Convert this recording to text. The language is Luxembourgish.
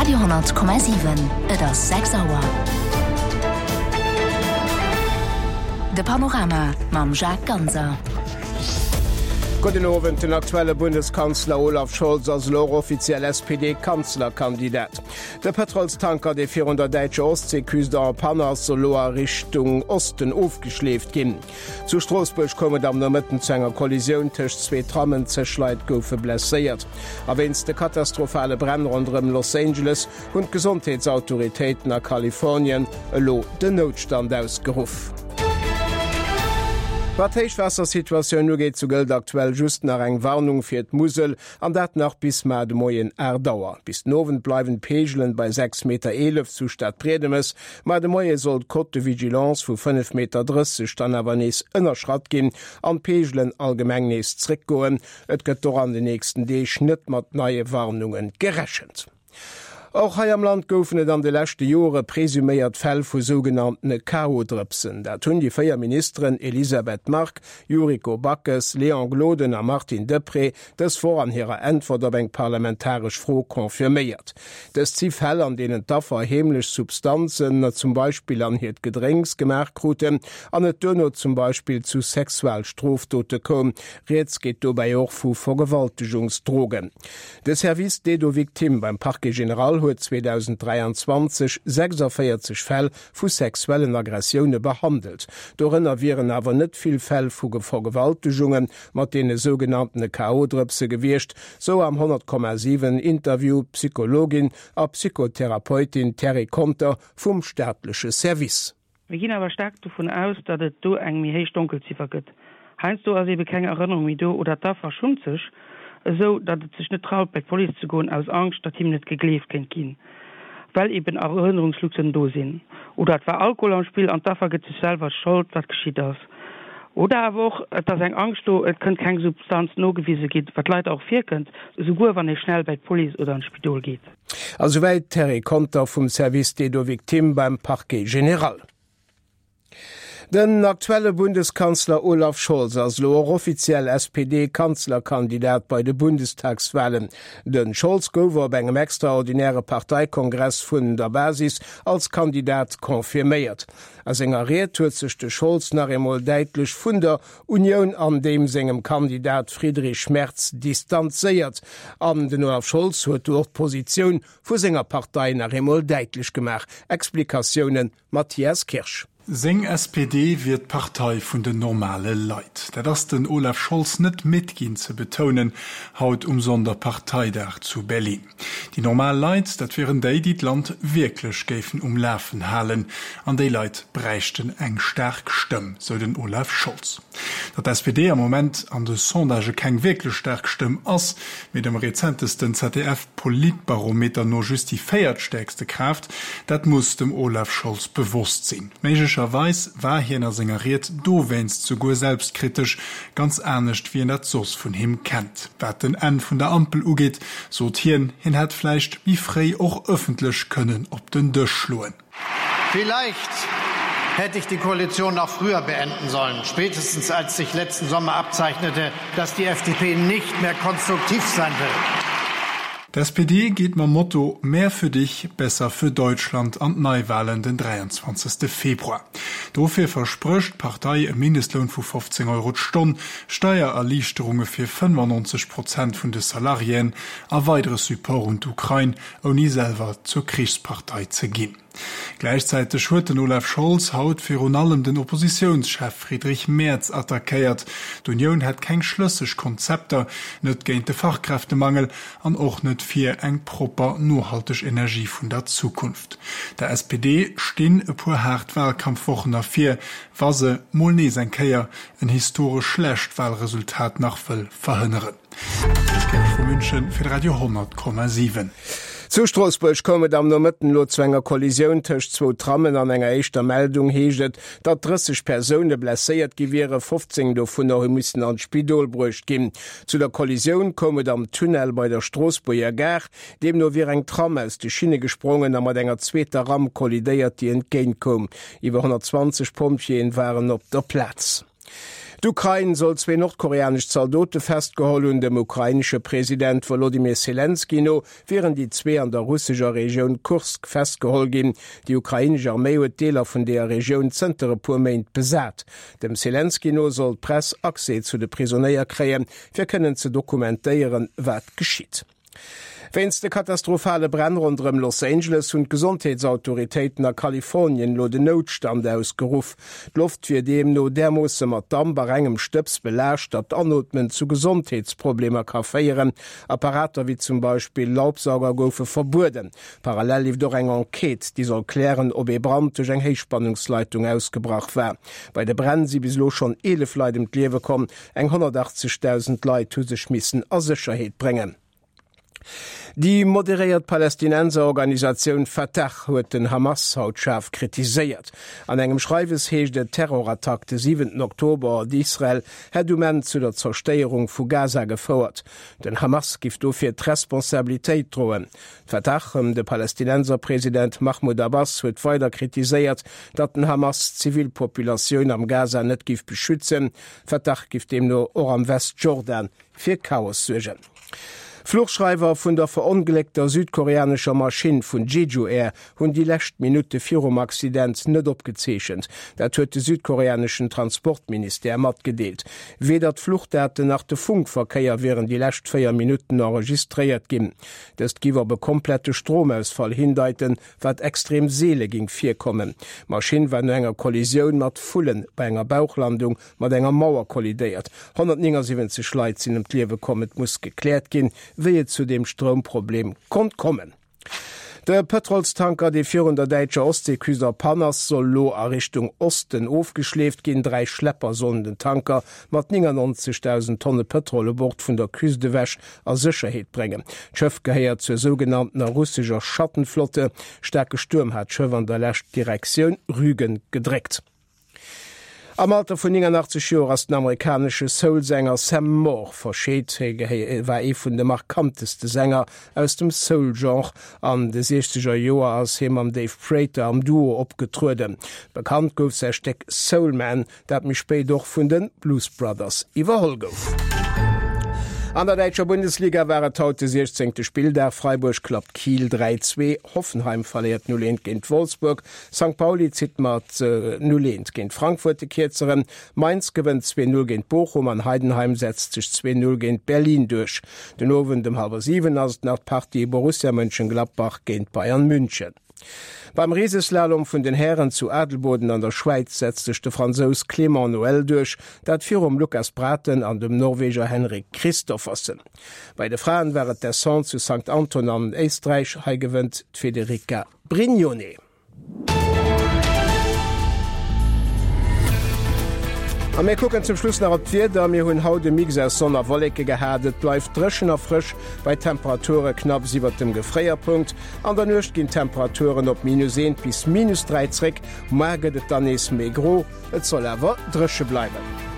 Radio 10,7 Et ass 6 Auer. De Panorama mam Jacques Ganser. Gudden Owend, Den aktuelle Bundeskanzler Olaf Scholz ass elo och offiziell SPD-Kanzlerkandidat. De Pëtrolstanker, dee virun der däitscher Ostseeküst en panne ass, soll elo a Richtung Osten ofgeschleeft ginn. Zu Stroossbuerg koum et am Nomëtten zu enger Kollisioun tëscht zwee Trammen, zeg Leit goufe blesséiert. A wéinst de katastrophale Bränn ronderëm Los Angeles hunn d'Gesondheetsautoritéiten a Kalifornien elo den Noutstand ausgeruff. Wat d'Héichwaassersituatioun ugeet, sou gëllt aktuell just nach eng Warnung fir d'Musel, an dat nach bis mar de Moien 8 Auer. Bis den Owend bleiwen d'Peegelen bei 6,11 Meter zu Stadbriedemes, Mar de Moie soll d'Cote de vigilance vu 5,30 Meter dann awer nees ënnerschratt ginn an d'Peegelen allgemeng nees zréckgoen. Et gëtt och an den nächsten Deeg net mat neie Warnunge gerechent. Och hei am Land goufen et an de leschte Jore presuméiert Fäll vu sougenanntene K.O.-Drëpsen. Dat hunn déi 4 Ministeren Elisabeth Margue, Yuriko Backes, Léon Gloden a Martine Deprez dës Woch an hirer Äntwert op eng parlamentaresch Fro confirméiert. Dëst si Fäll, an deenen d'Affer heemlech Substanzen, zum Beispill an hiert Gedrénks, gemaach kruten an et duerno zum Beispill zu Sexualstrofdote koum. Rieds geet dobäi och vu Vergewaltegungsdrogen. De Service d'aide aux victimes beim Parquet général huet 2023 46 Fäll vu sexuellen Aggressioune behandelt. Dorënner wieren awer net vill Fäll vu Vergewaltegunge mat deene sougenanntene KO-Drëpse gewiescht, Sou am 100,7 Interview d'Psychologin a Psychotherapeutin Terry Conter vum staatleche Service. Mir ginn awer staark dovun aus, datt et do eng méi héich Donkelziffer gëtt. Heiansdo ass ebe keng Erënnerung méi do oder d'Affer schummt sech esou, datt et sech net traut bei d'Police ze goen aus Angscht, datt him net gegleeft kéint ginn, well eben Erënnerungslücken do sinn. Oder et war Alkohol am Spill an d'Affer gëtt sech selwer d'Schold, wat geschitt ass. Oder awer och, et ass eng Angscht do, et kënnt keng Substanz nogewise ginn, wat leider och virkënnt, esouguer wann ee schnell bäi d'Police oder an d'Spidol geet. A souwäit d'Terry Conter vum Service d'aide aux victimes beim Parquet général. Den aktuelle Bundeskanzler Olaf Scholz ass elo och offiziell SPD-Kanzlerkandidat bei de Bundestagswalen. De Scholz gouf op engem extraordinäre Parteikongress vun der Basis als Kandidat confirméiert. A senger Ried huet sech de Scholz nach eemol däitlech vun der Unioun an deem sengem Kandidat Friedrich Merz distanzéiert. An den Olaf Scholz huet do och d'Positioun vu senger Partei nach eemol däitlech gemaach. Explikatioune Mathias Kirsch. Seng SPD wier d'Partei vun den normale Leit. Dat ass den Olaf Scholz net midd ginn ze betounen, haut um Sonderparteidag zu Berlin. Déi normal Leit, dat wieren déi, déi d'Land wierklech géifen um Lafen halen. An déi Leit bräichten eng staark Stëmm, sou den Olaf Scholz. Datt d'SPD am Moment an de Sondagë keng wierklech staark Stëmm ass, mee dem rezentesten ZDF-Politbarometer no just déi véiertstäerkste Kraaft, dat muss dem Olaf Scholz bewosst sinn. Méiglecherweis war hien a senger Ried dowéinst souguer selbstkritesch, ganz anescht wéi een dat soss vun him kennt. Wat den Enn vun der Ampel ugeet, sot hien, hien hätt vläicht méi fréi och ëffentlech kënnen op den Dësch schloen. Vielleicht hätte ich die Koalition noch früher beenden sollen, spätestens als sich letzten Sommer abzeichnete, dass die FDP nicht mehr konstruktiv sein will. D'SPD geet mam Motto Mehr für dich, besser für Deutschland an d'Neiwalen den 23. Februar. Dofir versprécht d'Partei e Mindestloun vu 15 Euro d'Stonn, Steiererliichterunge fir 95 Prozent vun de Salariéen a weidere Support un d'Ukrain, ouni selwer zur Krichspartei ze ginn. Gläichzäiteg huet den Olaf Scholz haut virun allem den Oppositiounschef Friedrich Merz attackéiert. D'Unioun hätt keng schlësseg Konzepter, net géint de Fachkräftemangel an och net fir eng propper, nohalteg Energie vun der Zukunft. Der SPD stinn e puer haart Wahlkampfwochen ervir, wa se mol nees eng Kéier en historesch schlecht Wahlresultat nach wëll verhënneren. Ech Kirsch vu München fir de Radio 100,7. Zu Stroossbuerg koum et am Nomëtten elo zu enger Kollisioun tëscht zwou Trammen. An enger éischter Meldung heescht et, datt 30 Persoune blesséiert gi wieren, 15 dovunner hu missen an d'Spidol bruecht ginn. Zu der Kollisioun koum et am Tunnel bei der Stroossbuerger Gare. Deemno wier eng Tram aus de Schinne gesprongen a mat enger zweeter Ram kollidéiert, déi entgéint koum. Iwwer 120 Pompjeeën waren op der Plaz. D'Ukrain soll zwee nordkoreanesch Zaldote festgeholl hunn. Dem ukrainesche President Wolodymyr Selenskyj no wieren déi zwee an der russescher Regioun Kursk festgeholl ginn. Déi ukrainesch Arméi huet Deeler vun deeër Regioun zënter e puer Méint besat. Dem Selenskyj no soll d'Press Accès zu de Prisonéier kréien, fir kënnen ze dokumentéieren, wat geschitt. Wéinst de katastrophale Bränn ronderëm Los Angeles hunn d'Gesondheetsautoritéiten a Kalifornien elo den Noutstand ausgeruff. D'Loft wier deemno därmoosse mat Damp a rengem Stëbs belaascht, datt d'Anootmen zu Gesondheetsproblemer ka féieren. Apparater wéi zum Beispill Laubsauger goufe verbueden. Parallel leeft och eng Enquête, déi soll klären, ob ee Brand duerch eng Héichspannungsleitung ausgebrach war. Bei de Bränn si bis elo schonn 11 Leit ëm d'Liewe komm. Eng 180.000 Leit hu sech missen a Sécherheet bréngen. Déi moderéiert Palästinenserorganisatioun Fatah huet den Hamas haut schaarf kritiséiert. An engem Schreiwes heescht et, d'Terrorattack de siwenten Oktober op Israel hätt um Enn zu der Zerstéierung vu Gaza gefouert. Den Hamas giff dofir d'Responsabilitéit droen. D'Fatah ëm de Palästinenserpresident Mahmoud Abbas huet weider kritiséiert, datt den Hamas d'Zivilpopulatioun am Gaza net giff beschützen. Fatah giff deemno och am Westjordan fir Chaos suergen. Fluchschreiwer vun der verongléckter südkoreanescher Maschinn vun Jeju Air hunn déi lescht Minutte virum Accident net opgezeechent. Dat huet de südkoreaneschen Transportministère matgedeelt. Weder d'Fluchdaten nach de Funkverkéier wieren déi lescht 4 Minutten enregistréiert ginn. Dëst giff op e komplette Stromausfall hindeiten, wat extrem seele ging virkommen. D'Maschinn war no enger Kollisioun mat Vullen bei enger Bauchlandung mat enger Mauer kollidéiert. 179 Leit sinn ëm d'Liewe komm. Et muss gekläert ginn, wéi et zu deem Stroumproblem konnt kommen. De Pëtrolstanker, dee virun der däitscher Ostseeküst a Pann ass, soll elo a Richtung Osten ofgeschleeft ginn. 3 Schlepper sollen den Tanker mat 99.000 Tonne Pëtrol u Bord vun der Küst ewech a Sécherheet bréngen. D'Schëff gehéiert zur sougenanntener russescher Schattenflotte. Staarke Stuerm hat d'Schëff an der Lescht Direktioun Rügen gedréckt. Am Alter vun 89 Joer ass den amerikanesche Soul-Sänger Sam Moore verscheet. Hie war ee vun de markanteste Sänger aus dem Soul-Genre. An de siechzeger Joer ass hie mam Dave Prater am Duo opgetrueden. Bekannt gouf säi Stéck Soul Man, dat méi spéit och vun de Blues Brothers iwwerholl gouf. An der däitscher Bundesliga war et haut de 16. Spilldag. Freiburg klappt Kiel 3, 2, Hoffenheim verléiert 0, 1 géint Wolfsburg. Sankt Pauli zitt mat 0, 1 géint Frankfurt de Kierzeren, Mainz gewënnt 2, 0 géint Bochum an Heidenheim setzt sech 2, 0 géint Berlin duerch. Den Owend ëm hallwer 7 ass et nach d'Partie Borussia Mönchengladbach géint Bayern München. Beim Riseslalom vun den Hären zu Adelboden an der Schwäiz setzt sech de Fransous Clément Noël duerch, dat virum Lucas Braathen an dem Norweger Henrik Kristoffersen. Bei de Fraen war et d'Descente zu Sankt Anton an Éisträich, hei gewënnt d'Federica Brignone. A mir kucken zum Schluss nach op d'Wieder. Mir hunn haut e Mix aus Sonn a Wolleke gehat. Et bleift dréchen a frësch bei Temperature knapps iwwert dem Gefréierpunkt. An der Nuecht ginn d'Temperaturen op minus 1 bis minus 3 zréck. Muar gëtt et dann nees méi gro, et soll awer dréche bleiwen.